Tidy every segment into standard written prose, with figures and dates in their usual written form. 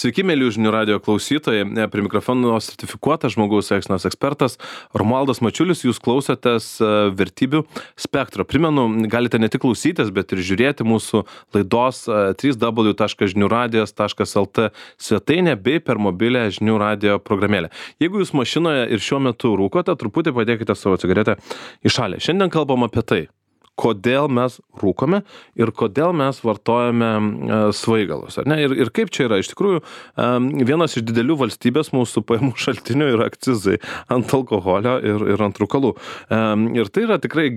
Sveiki, mėly žinių radio klausytojai. Prie mikrofono sertifikuotas žmogaus elgsenos ekspertas Romualdas Mačiulis. Jūs klausotės vertybių spektro. Primenu, galite ne tik klausytis, bet ir žiūrėti mūsų laidos www.žiniųradijas.lt svetainę bei per mobilę žinių radio programėlę. Jeigu jūs mašinoje ir šiuo metu rūkote, truputį padėkite savo cigaretę į šalį. Šiandien kalbam apie tai, kodėl mes rūkome ir kodėl mes vartojame svaigalus. Ar ne? Ir kaip čia yra? Iš tikrųjų, vienas iš didelių valstybės mūsų pajamų šaltinių yra akcizai ant alkoholio ir ant rūkalų. Ir tai yra tikrai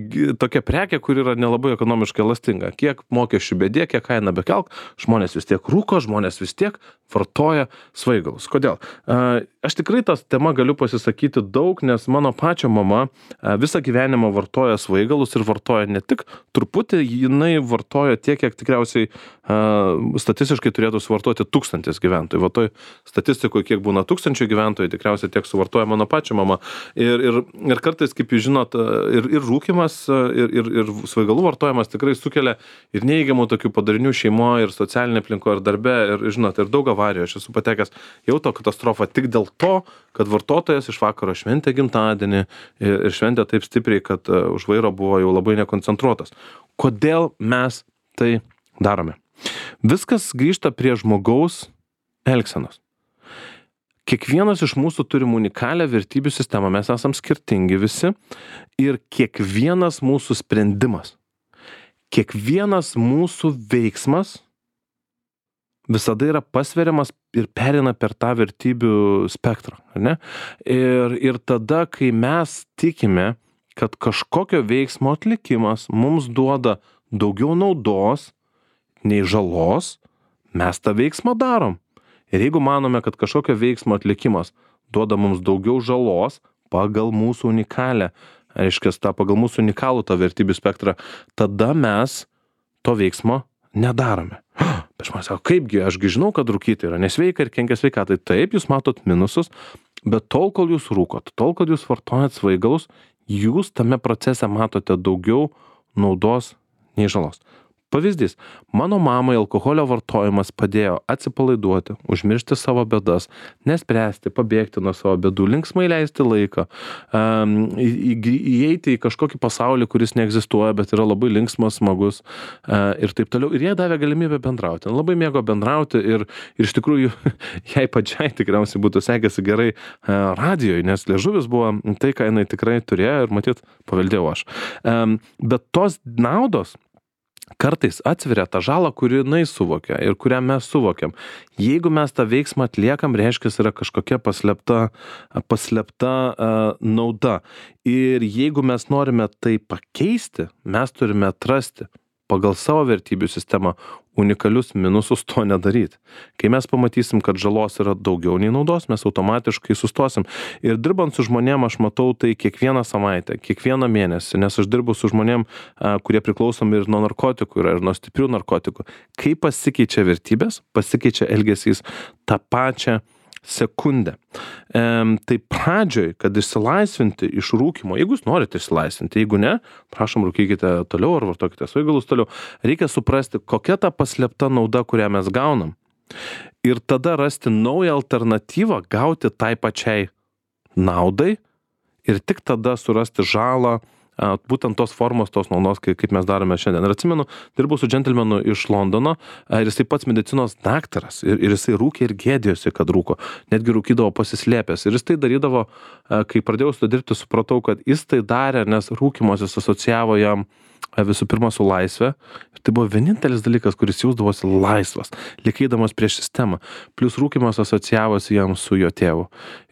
tokia prekė, kuri yra nelabai ekonomiškai elastinga. Kiek mokesčių bedė, kiek kainą bekelk, žmonės vis tiek rūko, žmonės vis tiek vartoja svaigalus. Kodėl? Aš tikrai tas tema galiu pasisakyti daug, nes mano pačio mama visą gyvenimą vartoja svaigalus ir vartoja ne tik truputį, jinai vartoja tiek, kiek tikriausiai statistiškai turėtų suvartoti 1000 gyventojų. Va toj statistikoje, kiek būna 1000 gyventojų, tikriausiai tiek suvartoja mano pačio mama. Ir kartais, kaip jūs žinot, ir rūkimas, ir svaigalų vartojimas tikrai sukelia ir neįgiamų tokių padarinių šeimoje, ir socialinė aplinkoje, ir darbe, ir žinot, ir daug avarijų. Aš esu patekęs į autokatastrofą tik dėl to, kad vartotojas iš vakaro šventė gimtadienį ir šventė taip stipriai, kad už vairo buvo jau labai nekoncentruotas. Kodėl mes tai darome? Viskas grįžta prie žmogaus elgsenos. Kiekvienas iš mūsų turim unikalią vertybių sistemą, mes esam skirtingi visi ir kiekvienas mūsų sprendimas, kiekvienas mūsų veiksmas visada yra pasveriamas ir pereina per tą vertybių spektrą, ar ne? Ir tada, kai mes tikime, kad kažkokio veiksmo atlikimas mums duoda daugiau naudos nei žalos, mes tą veiksmą darom. Ir jeigu manome, kad kažkokio veiksmo atlikimas duoda mums daugiau žalos pagal mūsų unikalę, pagal mūsų unikalų tą vertybių spektrą, tada mes to veiksmo nedarome. Bet žmonės sako, kaipgi, ašgi žinau, kad rūkyti yra nesveika ir kenkia sveikatai. Taip, jūs matot minusus, bet tol, kol jūs rūkot, tol, kol jūs vartojat svaigalus, jūs tame procese matote daugiau naudos nei žalos. Pavyzdys, mano mamai alkoholio vartojimas padėjo atsipalaiduoti, užmiršti savo bėdas, nespręsti, pabėgti nuo savo bėdų, linksmai leisti laiką, įeiti į kažkokį pasaulį, kuris neegzistuoja, bet yra labai linksmas, smagus ir taip toliau. Ir jie davė galimybę bendrauti. Labai mėgo bendrauti ir iš tikrųjų jai pačiai tikriausiai būtų sekėsi gerai radijoje, nes liežuvis buvo tai, ką jinai tikrai turėjo ir matyt paveldėjau aš. Bet tos naudos kartais atsveria tą žalą, kurį jinai suvokia ir kurią mes suvokiam. Jeigu mes tą veiksmą atliekam, reiškia, yra kažkokia paslėpta nauda. Ir jeigu mes norime tai pakeisti, mes turime atrasti pagal savo vertybių sistemą unikalius minusus to nedaryti. Kai mes pamatysim, kad žalos yra daugiau nei naudos, mes automatiškai sustosim. Ir dirbant su žmonėm, aš matau tai kiekvieną savaitę, kiekvieną mėnesį, nes aš dirbu su žmonėm, kurie priklausomi ir nuo narkotikų, ir nuo stiprių narkotikų. Kai pasikeičia vertybės, pasikeičia elgesys tą pačią sekundę. Tai pradžioj, kad išsilaisvinti iš rūkymo, jeigu jūs norite išsilaisvinti, jeigu ne, prašom, rūkykite toliau ar vartokite svaigalus toliau, reikia suprasti, kokia ta paslėpta nauda, kurią mes gaunam. Ir tada rasti naują alternatyvą, gauti tai pačiai naudai ir tik tada surasti žalą, būtent tos formos, tos naudos, kaip mes darome šiandien. Ir atsimenu, dirbau su džentelmenu iš Londono ir jisai pats medicinos daktaras ir jisai rūkė ir gėdėjosi, kad rūko. Netgi rūkydavo pasislėpęs. Ir jis tai darydavo, kai pradėjau su to dirbti, supratau, kad jis tai darė, nes rūkymas jis asocijavo jam visų pirma su laisvė. Ir tai buvo vienintelis dalykas, kuris jausdavosi laisvas, likėdamas prieš sistemą. Plius rūkymas asocijavosi jam su jo tėvu.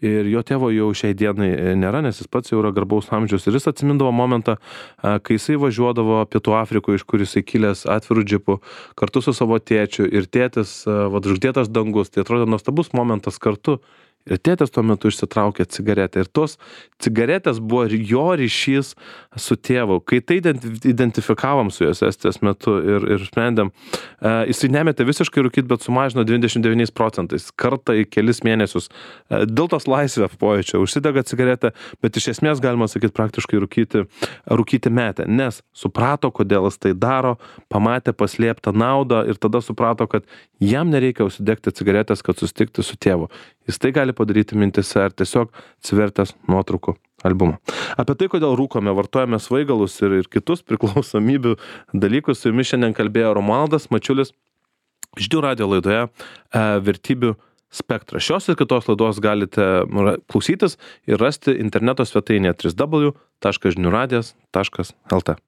Ir jo tėvo jau šiai dienai nėra, nes jis pats jau yra garbaus amžiaus. Ir jis atsimindavo momentą, kai jisai važiuodavo Pietų Afrikoje, iš kur jisai kilęs atvirų džipų, kartu su savo tėčiu. Ir tėtis, žvaigždėtas dangus. Tai atrodė nuostabus momentas kartu. Ir tėtis tuo metu išsitraukė cigaretę. Ir tos cigaretės buvo jo ryšys su tėvu. Kai tai identifikavom su juos estijos metu ir sprendėm, jisai nemetė visiškai rūkyti, bet sumažino 29%. Kartą į kelis mėnesius. Dėl tos laisvės pojūčio užsidega cigaretę, bet iš esmės galima sakyti praktiškai rūkyti metę. Nes suprato, kodėl jis tai daro, pamatė paslėptą naudą ir tada suprato, kad jam nereikia užsidegti cigaretės, kad susitikti su tėvu. Jis tai gali padaryti mintise ar tiesiog atsivertęs nuotraukų albumą. Apie tai, kodėl rūkome, vartojame svaigalus ir kitus priklausomybių dalykus, su jumis šiandien kalbėjo Romualdas Mačiulis Žinių radijo laidoje Vertybių spektras. Šios ir kitos laidos galite klausytis ir rasti interneto svetainėje www.žiniuradijas.lt.